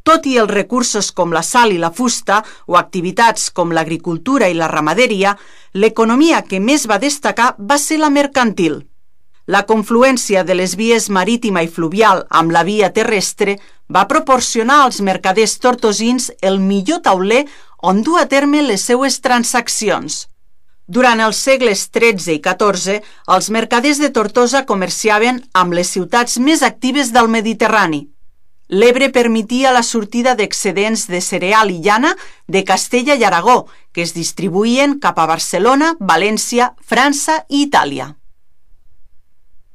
Tot i els recursos com la sal i la fusta o activitats com l'agricultura i la ramaderia, l'economia que més va destacar va ser la mercantil. La confluència de les vies marítima i fluvial amb la via terrestre va proporcionar als mercaders tortosins el millor tauler on dur a terme les seues transaccions. Durant els segles XIII i XIV, els mercaders de Tortosa comerciaven amb les ciutats més actives del Mediterrani. L'Ebre permetia la sortida d'excedents de cereal i llana de Castella i Aragó, que es distribuïen cap a Barcelona, València, França i Itàlia.